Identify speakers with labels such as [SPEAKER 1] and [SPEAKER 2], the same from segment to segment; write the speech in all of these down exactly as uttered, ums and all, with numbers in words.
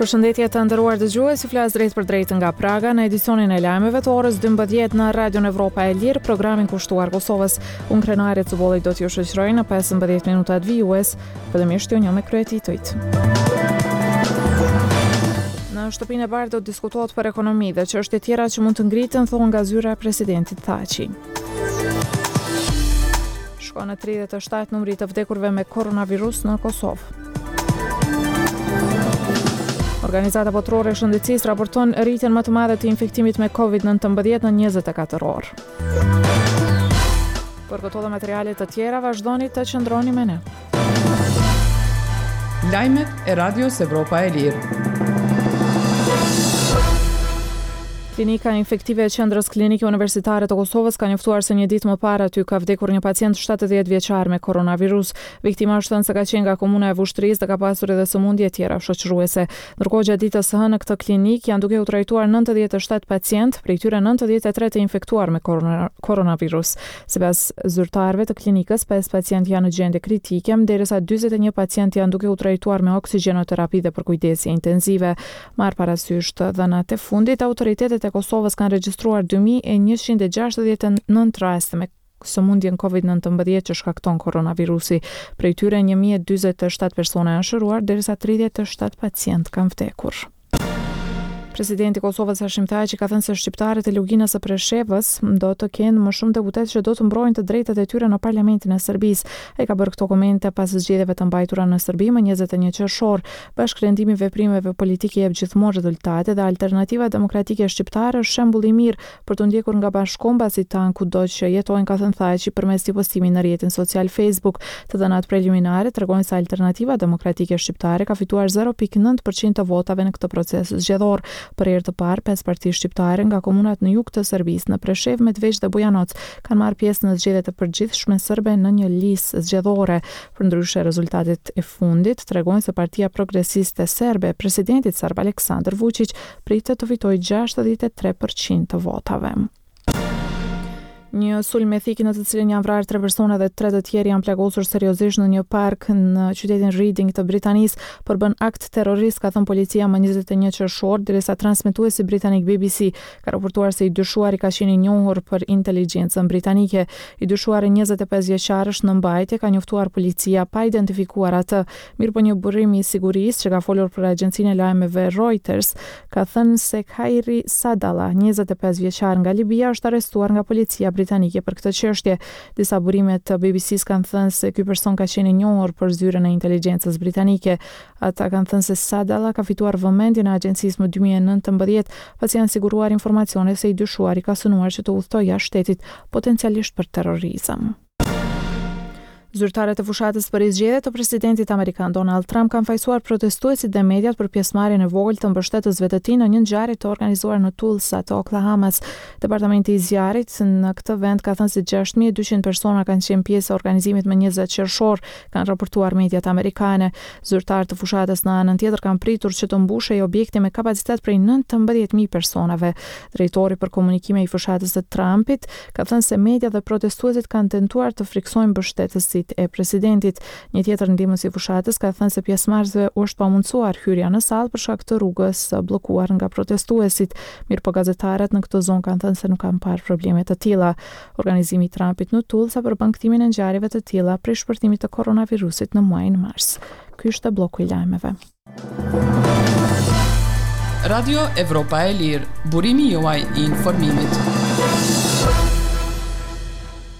[SPEAKER 1] Përshëndetje të nderuar dëgjues, ju flas drejt për drejt nga Praga në edicionin e lajmeve të orës dymbëdhjetë në Radion Evropa e Lirë, programin kushtuar Kosovës. Unë Krenare Cubolli do t'ju shoqëroj në pesëmbëdhjetë minutat vijues, fillimisht ju njoh me kryetitujt. Në Shtëpinë e Bardhë do të diskutohet për ekonomi dhe çështje tjera që mund të ngriten, thonë nga zyra e presidentit Thaçi. Shkon në tridhjetë e shtatë numri i të vdekurve me koronavirus në Kosovë. Organizata Botërore e Shëndetësisë raporton rritjen më të madhe të infektimit me Covid nëntëmbëdhjetë në njëzet e katër orë. Për këto dhe materiale të tjera vazhdoni të qëndroni me ne.
[SPEAKER 2] Lajmet e Radios Evropa e Lirë.
[SPEAKER 1] Klinika infektive e Qendrës Klinike Universitare të Kosovës ka njoftuar se një ditë më parë aty ka vdekur një pacient shtatëdhjetë vjeçar me koronavirus. Viktima është thënë se ka qenë nga komuna e Vushtrrisë dhe ka pasur edhe sëmundje tjera shoqëruese. Ndërkohë gjatë ditës së hënë në këtë klinikë janë duke u trajtuar nëntëdhjetë e shtatë pacientë, prej tyre nëntëdhjetë e tre të infektuar me korona-, koronavirus. Sipas zyrtarëve të klinikës, pesë pacientë janë në gjendje kritike, derisa dyzet e një pacientë janë duke u trajtuar me oksigjenoterapi dhe përkujdesje intensive. Marr parasysh të dhënat e fundit, autoritetet e Kosovës kanë regjistruar dy mijë e njëqind e gjashtëdhjetë e nëntë raste me sëmundjen Covid nëntëmbëdhjetë që shkakton koronavirusi. Prej tyre një mijë e dyzet e shtatë persona janë shëruar, derisa tridhjetë e shtatë pacientë kanë vdekur. Presidenti i Kosovës Hashim Thaçi ka thënë se shqiptarët e Luginës së Preshevës do të kenë më shumë deputetë që do të mbrojnë të drejtat e tyre në Parlamentin e Serbisë. Ai ka bërë këto komente pas zgjedhjeve të mbajtura në Serbi më njëzet e një qershor. Bashkërendimi i veprimeve politike jep gjithmonë rezultate dhe Alternativa Demokratike Shqiptare është shembull i mirë për të ndjekur nga bashkombasit tanë kudo që jetojnë, ka thënë Thaçi përmes një postimi në rrjetin social Facebook. Të dhënat preliminare tregojnë se Alternativa Demokratike Shqiptare ka fituar zero pikë nëntë përqind të votave në këtë proces zgjedhor. Për herë të parë, pesë parti shqiptare nga komunat në jug të Serbisë, në Preshevë, Medvegjë dhe Bujanoc, kanë marrë pjesë në zgjedhjet e përgjithshme serbe në një listë zgjedhore. Përndryshe, rezultatet e fundit tregojnë se Partia Progresiste Serbe e presidentit serb Aleksandar Vučić pritet të fitojë gjashtëdhjetë e tre përqind të votave. Një sulm me thikë në të cilin janë vrarë tre persona dhe tre të tjerë janë plagosur seriozisht në një park në qytetin Reading të Britanisë përbën akt terrorist, ka thënë policia më njëzet e një qershor, derisa transmetuesi britanik B B C ka raportuar se i dyshuari ka qenë i njohur për inteligjencën britanike. I dyshuari njëzet e pesë vjeçar është në mbajtje, ka njoftuar policia pa identifikuar atë. Mirëpo një burim i sigurisë që ka folur për agjencinë e lajmeve Reuters ka thënë se Khairi Sadala, njëzet e pesë vjeçar nga Libia, është arrestuar nga policia britanike për këtë çështje. Disa burime të B B C-s kanë thënë se ky person ka qenë i njohur për zyrën e inteligjencës britanike. Ata kanë thënë se Sadala ka fituar vëmendjen e agjencisë më dy mijë e nëntëmbëdhjetë, pasi janë siguruar informacione se i dyshuari ka synuar që të udhtojë jashtë shtetit, potencialisht për terrorizëm. Zyrtarët e fushatës për zgjedhje të presidentit amerikan Donald Trump kanë fajsuar protestuesit dhe mediat për pjesëmarrjen e vogël të mbështetësve të tij në një ngjarje të organizuar në Tulsa të Oklahomas. Departamenti i zjarrit në këtë vend ka thënë se gjashtë mijë e dyqind persona kanë qenë pjesë e organizimit më njëzet qershor, kanë raportuar mediat amerikane. Zyrtarë të fushatës në anën tjetër kanë pritur që të mbushej objekti me kapacitet prej nëntëmbëdhjetë mijë personave. Drejtori për komunikime i fushatës së Trumpit ka thënë se media dhe protestuesit kanë tentuar të friksojnë mbështetësit e presidentit. Një tjetër ndihmës i fushatës ka thënë se pjesëmarrësve u është pamundësuar hyrja në sallë për shkak të rrugës së bllokuar nga protestuesit. Mirëpo gazetarët në këtë zonë kanë thënë se nuk kanë parë probleme të tilla. Organizimi i Trumpit në Tulsa përbën kthimin e ngjarjeve të tilla prej shpërthimit të koronavirusit në muajin mars. Ky ishte bloku i lajmeve.
[SPEAKER 2] Radio Evropa e Lirë, burimi juaj i informimit.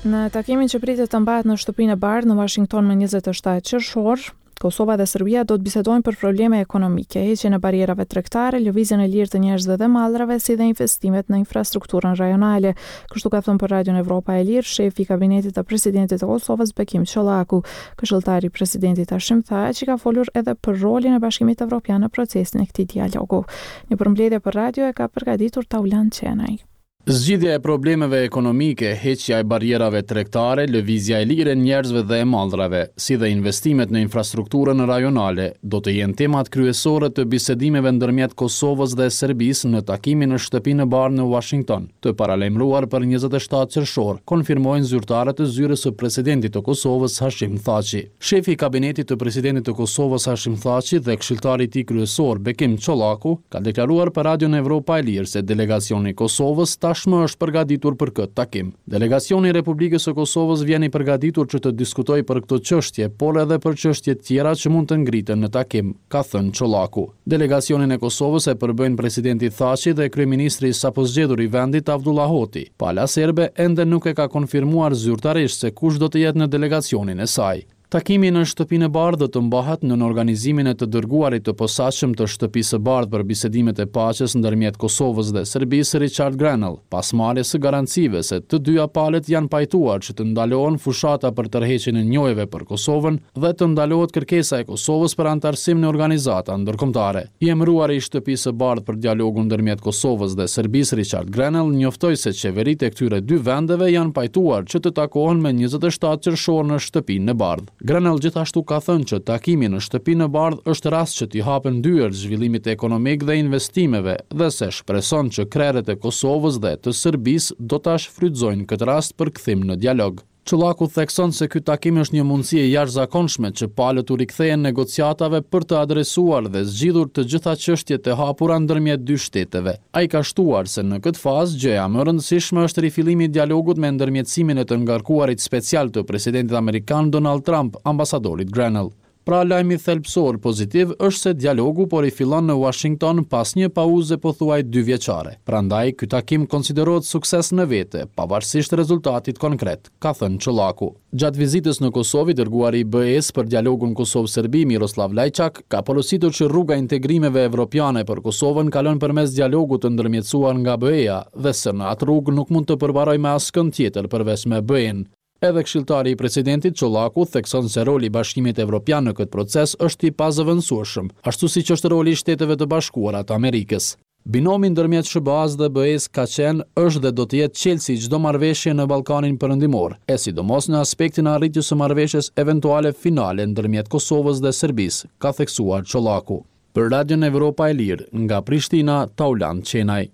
[SPEAKER 1] Në takimin që pritet të mbahet në Shtëpinë e Bardhë në Washington më njëzet e shtatë qershor, Kosova dhe Serbia do të bisedojnë për probleme ekonomike, heqjen e barrierave tregtare, lëvizjen e lirë të njerëzve dhe mallrave, si dhe investimet në infrastrukturën rajonale. Kështu ka thënë për Radion Evropa e Lirë shefi i kabinetit të presidentit të Kosovës, Bekim Çollaku. Këshilltari i presidentit Hashim Thaçi ka folur edhe për rolin e Bashkimit Evropian në procesin e këtij dialogu. Një përmbledhje për radio e ka përgatitur Taulant Qenaj.
[SPEAKER 3] Zgjidhja e problemeve ekonomike, heqja e barrierave tregtare, lëvizja e lirë e njerëzve dhe e mallrave, si dhe investimet në infrastrukturën rajonale, do të jenë temat kryesore të bisedimeve ndërmjet Kosovës dhe Serbisë në takimin në Shtëpinë e Bardhë në Washington, të paralajmëruar për njëzet e shtatë qershor, konfirmojnë zyrtarët e zyrës së presidentit të Kosovës, Hashim Thaçi. Shefi i kabinetit të presidentit të Kosovës, Hashim Thaçi, dhe këshilltari i tij kryesor, Bekim Çollaku, ka deklaruar për Radion Evropa e Lirë se delegacioni i Kosovës tashmë është përgatitur për këtë takim. Delegacioni i Republikës së Kosovës vjen i përgatitur që të diskutojë për këto çështje, por edhe për çështje tjera që mund të ngriten në takim, ka thënë Çollaku. Delegacionin e Kosovës e përbëjnë presidenti Thaçi dhe kryeministri i sapozgjedhur i vendit Avdullah Hoti. Pala serbe ende nuk e ka konfirmuar zyrtarisht se kush do të jetë në delegacionin e saj. Takimi në Shtëpinë e Bardhë do të mbahet nën organizimin e të dërguarit të posaçëm të Shtëpisë së Bardhë për bisedimet e paqes ndërmjet Kosovës dhe Serbisë, Richard Grenell, pas marrjes së garancive se të dyja palët janë pajtuar që të ndalohen fushata për tërheqjen e njohjeve për Kosovën dhe të ndalohet kërkesa e Kosovës për anëtarësim në organizata ndërkombëtare. I emëruari i Shtëpisë së Bardhë për dialogun ndërmjet Kosovës dhe Serbisë, Richard Grenell, njoftoi se qeveritë e këtyre dy vendeve janë pajtuar që të takohen me njëzet e shtatë qershor në Shtëpinë e Bardhë. Grenell gjithashtu ka thënë që takimi në Shtëpinë e Bardhë është rast që t'i hapen dyert zhvillimit ekonomik dhe investimeve dhe se shpreson që krerët e Kosovës dhe të Serbisë do ta shfrytëzojnë këtë rast për kthim në dialog. Çollaku thekson se ky takim është një mundësi e jashtëzakonshme që palët u rikthehen negociatave për të adresuar dhe zgjidhur të gjitha çështjet e hapura ndërmjet dy shteteve. Ai ka shtuar se në këtë fazë gjëja më e rëndësishme është rifillimi i dialogut me ndërmjetësimin e të ngarkuarit special të presidentit amerikan Donald Trump, ambasadorit Grenell. Pra lajmi thelbësor pozitiv është se dialogu po rifillon në Washington pas një pauze pothuaj dy vjeçare. Prandaj ky takim konsiderohet sukses në vete, pavarësisht rezultatit konkret, ka thënë Çollaku. Gjatë vizitës në Kosovë, i dërguari i B E-s për dialogun Kosovë-Serbi, Miroslav Lajçak, ka porositur që rruga e integrimeve evropiane për Kosovën kalon përmes dialogut të ndërmjetësuar nga B E-ja dhe se në atë rrugë nuk mund të përparojë me askënd tjetër përveç me B E-n. Edhe këshilltari i presidentit Çollaku thekson se roli i Bashkimit Evropian në këtë proces është i pazëvendësueshëm, ashtu siç është roli i Shteteve të Bashkuara të Amerikës. Binomi ndërmjet S H B A-s dhe B E-s ka qenë, është dhe do të jetë çelësi i çdo marrëveshje në Ballkanin Perëndimor, e sidomos në aspektin e arritjes së marrëveshjes eventuale finale ndërmjet Kosovës dhe Serbisë, ka theksuar Çollaku. Për Radion Evropa e Lirë, nga Prishtina, Taulant Qenaj.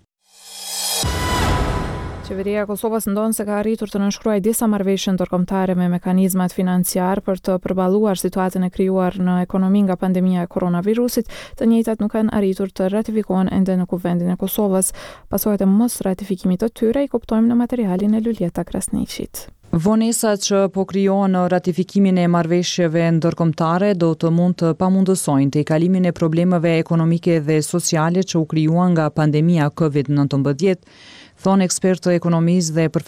[SPEAKER 1] Qeveria e Kosovës ndon se ka arritur të nënshkruajë disa marrëveshje ndërkombëtare me mekanizmat financiar për të përballuar situatën e krijuar në ekonomi nga pandemia e koronavirusit, të njëjtat nuk kanë arritur të ratifikohen ende në Kuvendin e Kosovës. Pasojat e mos ratifikimit të tyre i kuptojmë në materialin e Luljeta Krasniqit.
[SPEAKER 2] Vonesa që po krijohen në ratifikimin e marrëveshjeve ndërkombëtare do të mund të pamundësojnë tejkalimin e problemeve ekonomike dhe sociale që u krijuan nga pandemia Covid nëntëmbëdhjetë, thonë ekspertë të ekonomisë dhe përfaqësues